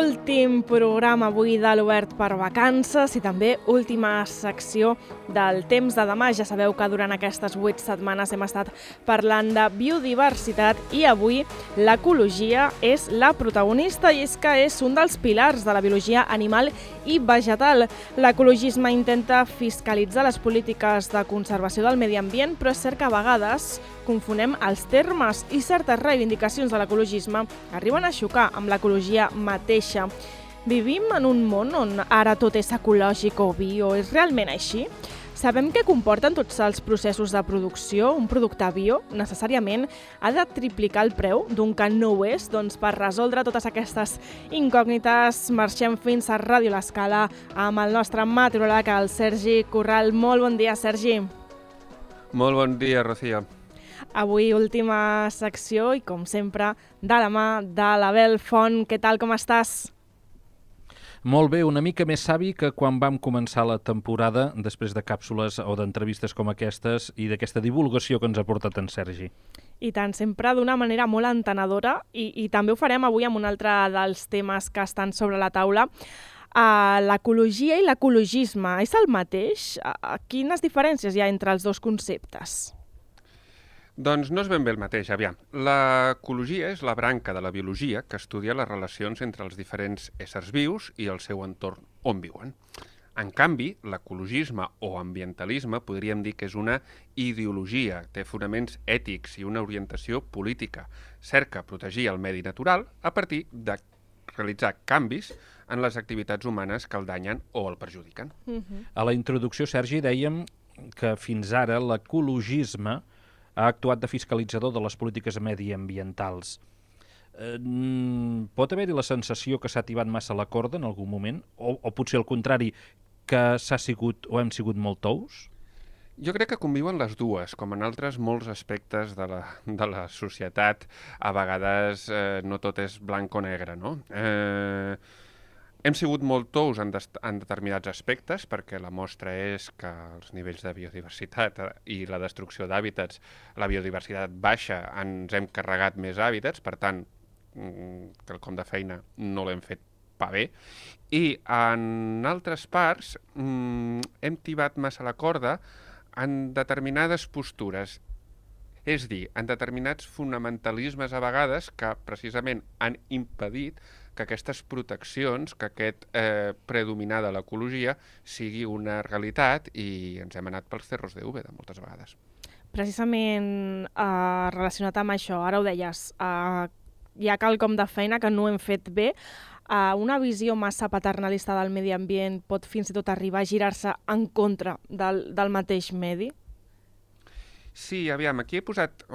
Últim programa avui de l'Obert per Vacances i també última secció del Temps de demà. Ja sabeu que durant aquestes 8 setmanes hem estat parlant de biodiversitat i avui l'ecologia és la protagonista i és que és un dels pilars de la biologia animal i vegetal. L'ecologisme intenta fiscalitzar les polítiques de conservació del medi ambient, però és cert que a vegades confonem els termes i certes reivindicacions de l'ecologisme arriben a xocar amb l'ecologia mateixa. Vivim en un món on ara tot és ecològic o bio. És realment així? Sabem què comporten tots els processos de producció? Un producte bio necessàriament ha de triplicar el preu d'un que no ho és? Doncs per resoldre totes aquestes incògnites marxem fins a Ràdio L'Escala amb el nostre meteoròleg, el Sergi Corral. Molt bon dia, Sergi. Molt bon dia, Rocío. Avui última secció i, com sempre, de la mà de l'Abel Font. Què tal, com estàs? Molt bé, una mica més savi que quan vam començar la temporada, després de càpsules o d'entrevistes com aquestes i d'aquesta divulgació que ens ha portat en Sergi. I tant, sempre d'una manera molt entenedora i també ho farem avui amb un altre dels temes que estan sobre la taula. L'ecologia i l'ecologisme és el mateix? Quines diferències hi ha entre els dos conceptes? Doncs no és ben bé el mateix, aviam. L'ecologia és la branca de la biologia que estudia les relacions entre els diferents éssers vius i el seu entorn on viuen. En canvi, l'ecologisme o ambientalisme podríem dir que és una ideologia, té fonaments ètics i una orientació política. Cerca protegir el medi natural a partir de realitzar canvis en les activitats humanes que el danyen o el perjudiquen. A la introducció, Sergi, dèiem que fins ara l'ecologisme ha actuat de fiscalitzador de les polítiques mediambientals. Pot haver-hi la sensació que s'ha tibat massa la corda en algun moment? O potser al contrari, que hem sigut molt tous? Jo crec que conviuen les dues, com en altres molts aspectes de la societat. A vegades no tot és blanc o negre, no? Hem sigut molt tous en determinats aspectes, perquè la mostra és que els nivells de biodiversitat i la destrucció d'hàbitats, la biodiversitat baixa, ens hem carregat més hàbitats, per tant, quelcom de feina no l'hem fet pa bé. I en altres parts hem tibat massa la corda en determinades postures, és dir, en determinats fonamentalismes a vegades que precisament han impedit que aquestes proteccions, que aquest predominar de l'ecologia sigui una realitat i ens hem anat pels cerros de Úbeda moltes vegades. Precisament relacionat amb això, ara ho deies, hi ha quelcom de feina que no hem fet bé. Una visió massa paternalista del medi ambient pot fins i tot arribar a girar-se en contra del mateix medi? Sí, aviam, aquí he posat...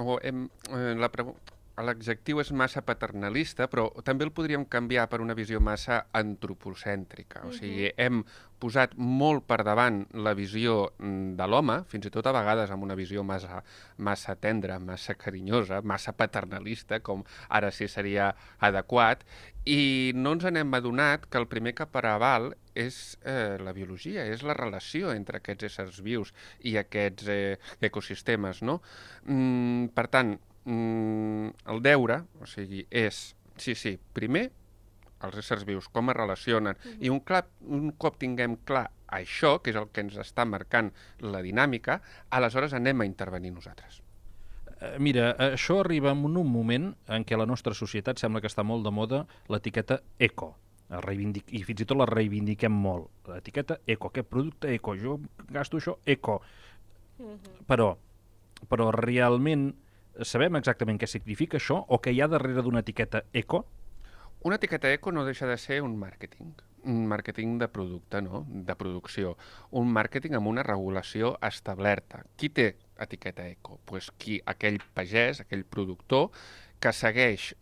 L'adjectiu és massa paternalista, però també el podríem canviar per una visió massa antropocèntrica. O sigui, hem posat molt per davant la visió de l'home, fins i tot a vegades amb una visió massa tendra, massa carinyosa, massa paternalista, com ara sí seria adequat, i no ens n'hem adonat que el primer que preval és la biologia, és la relació entre aquests éssers vius i aquests ecosistemes, no? Per tant, el deure, o sigui, és, sí, primer, els éssers vius, com es relacionen, i un cop tinguem clar això, que és el que ens està marcant la dinàmica, aleshores anem a intervenir nosaltres. Mira, això arriba en un moment en què la nostra societat sembla que està molt de moda l'etiqueta eco, i fins i tot la reivindiquem molt. L'etiqueta eco, aquest producte eco, jo gasto això eco. Però realment sabem exactament què significa això o què hi ha darrere d'una etiqueta eco? Una etiqueta eco no deixa de ser un màrqueting de producte, no? De producció, un màrqueting amb una regulació establerta. Qui té etiqueta eco? Pues aquell pagès, aquell productor que segueix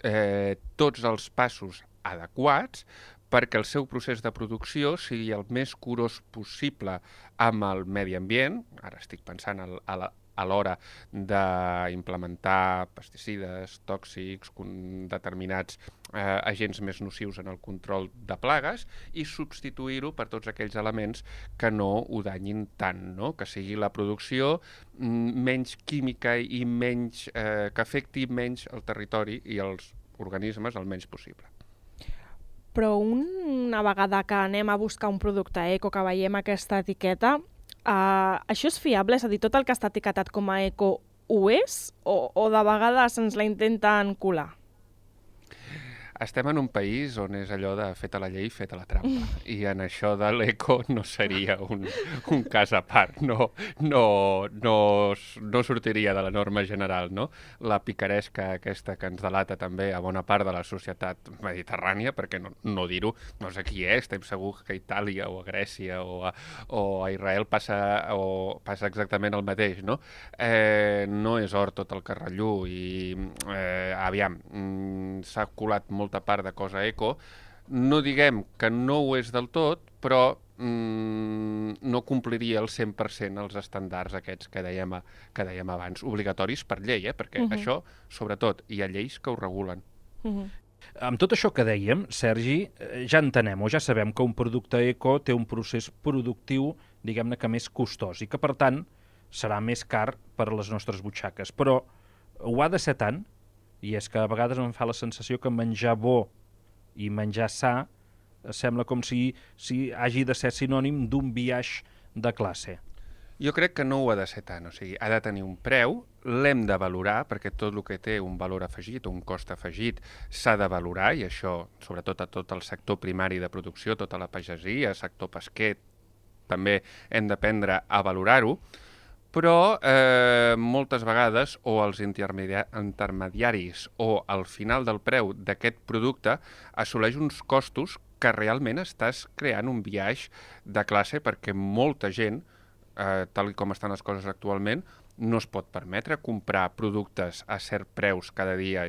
tots els passos adequats perquè el seu procés de producció sigui el més curós possible amb el medi ambient. Ara estic pensant a l'hora d'implementar pesticides, tòxics, determinats agents més nocius en el control de plagues i substituir-ho per tots aquells elements que no ho danyin tant, no? Que sigui la producció menys química i que afecti menys el territori i els organismes el menys possible. Però una vegada que anem a buscar un producte eco, que veiem aquesta etiqueta, això és fiable? És a dir, tot el que està etiquetat com a eco ho és? O de vegades ens la intenten colar? Estem en un país on és allò de feta la llei, feta la trampa. I en això de l'eco no seria un cas a part. No sortiria de la norma general, no? La picaresca aquesta que ens delata també a bona part de la societat mediterrània, perquè no dir-ho, no sé qui és, estem segur que a Itàlia o a Grècia o a Israel passa exactament el mateix, no? No és or tot el carrellú i aviam, s'ha colat molta part de cosa eco. No diguem que no ho és del tot, però no compliria el 100% els estàndards aquests que dèiem abans, obligatoris per llei, perquè això, sobretot, hi ha lleis que ho regulen. Amb tot això que dèiem, Sergi, ja entenem o ja sabem que un producte eco té un procés productiu, diguem-ne que més costós i que, per tant, serà més car per a les nostres butxaques. Però ho ha de ser tant, i és que a vegades em fa la sensació que menjar bo i menjar sa sembla com si hagi de ser sinònim d'un biaix de classe. Jo crec que no ho ha de ser tant, o sigui, ha de tenir un preu, l'hem de valorar, perquè tot el que té un valor afegit o un cost afegit s'ha de valorar, i això, sobretot a tot el sector primari de producció, tota la pagesia, sector pesquer, també hem d'aprendre a valorar-ho, però moltes vegades o els intermediaris o al final del preu d'aquest producte assoleix uns costos que realment estàs creant un biaix de classe perquè molta gent, tal com estan les coses actualment, no es pot permetre comprar productes a cert preus cada dia.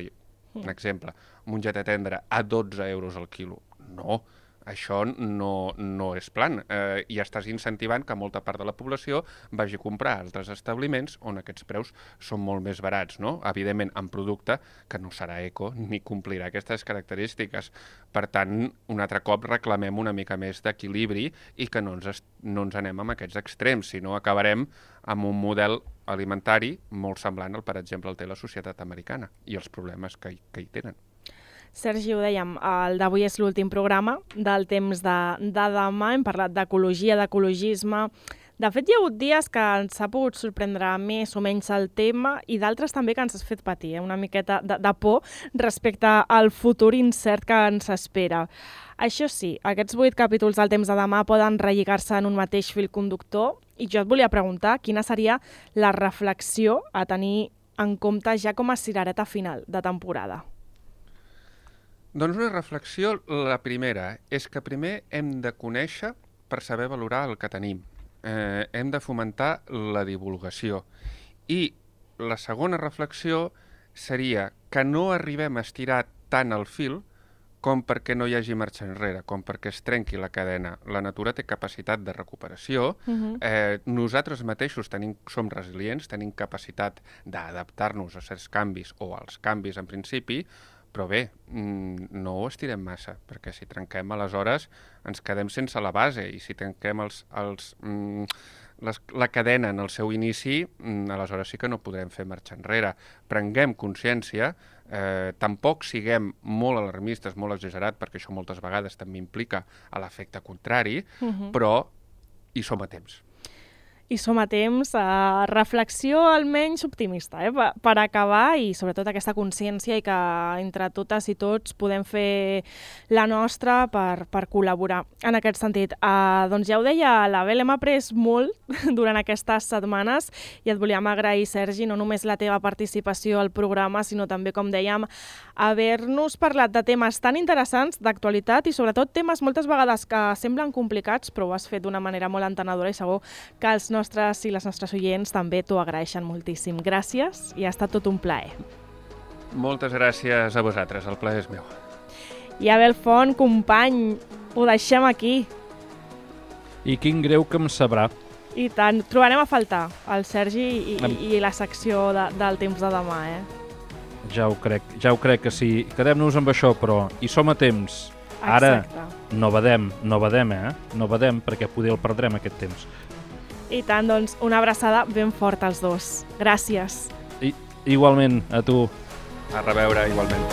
Un exemple, mongeta tendra a 12 euros al quilo. No, això no és plan, i estàs incentivant que molta part de la població vagi a comprar a altres establiments on aquests preus són molt més barats, no? Evidentment, en producte que no serà eco ni complirà aquestes característiques. Per tant, un altre cop reclamem una mica més d'equilibri i que no ens anem amb aquests extrems, sinó acabarem amb un model alimentari molt semblant al, per exemple, el té la societat americana i els problemes que hi tenen. Sergi, ho dèiem, el d'avui és l'últim programa del temps de demà. Hem parlat d'ecologia, d'ecologisme. De fet, hi ha hagut dies que ens ha pogut sorprendre més o menys el tema i d'altres també que ens has fet patir, una miqueta de por respecte al futur incert que ens espera. Això sí, aquests 8 capítols del temps de demà poden relligar-se en un mateix fil conductor i jo et volia preguntar quina seria la reflexió a tenir en compte ja com a cirereta final de temporada. Doncs una reflexió, la primera, és que primer hem de conèixer per saber valorar el que tenim. Hem de fomentar la divulgació. I la segona reflexió seria que no arribem a estirar tant el fil com perquè no hi hagi marxa enrere, com perquè es trenqui la cadena. La natura té capacitat de recuperació, nosaltres mateixos som resilients, tenim capacitat d'adaptar-nos a certs canvis o als canvis en principi, però bé, no ho estirem massa, perquè si trenquem aleshores ens quedem sense la base i si trenquem la cadena en el seu inici, aleshores sí que no podrem fer marxa enrere. Prenguem consciència, tampoc siguem molt alarmistes, molt exagerat, perquè això moltes vegades també implica l'efecte contrari, però hi som a temps. I som a temps, reflexió almenys optimista, per acabar, i sobretot aquesta consciència i que entre totes i tots podem fer la nostra per col·laborar en aquest sentit. Doncs ja ho deia l'Abel, hem après molt durant aquestes setmanes i et volíem agrair, Sergi, no només la teva participació al programa, sinó també, com dèiem, haver-nos parlat de temes tan interessants, d'actualitat i sobretot temes moltes vegades que semblen complicats, però ho has fet d'una manera molt entenedora i segur que els nostres i les nostres oients també t'ho agraeixen moltíssim. Gràcies i ha estat tot un plaer. Moltes gràcies a vosaltres, el plaer és meu. I Abel Font, company, ho deixem aquí. I quin greu que em sabrà. I tant, trobarem a faltar el Sergi i la secció del temps de demà, Ja ho crec que sí. Quedem-nos amb això, però hi som a temps. Ara, no badem, No badem, perquè poder el perdrem aquest temps. I tant, doncs, una abraçada ben forta als dos. Gràcies. Igualment, a tu. A reveure, igualment.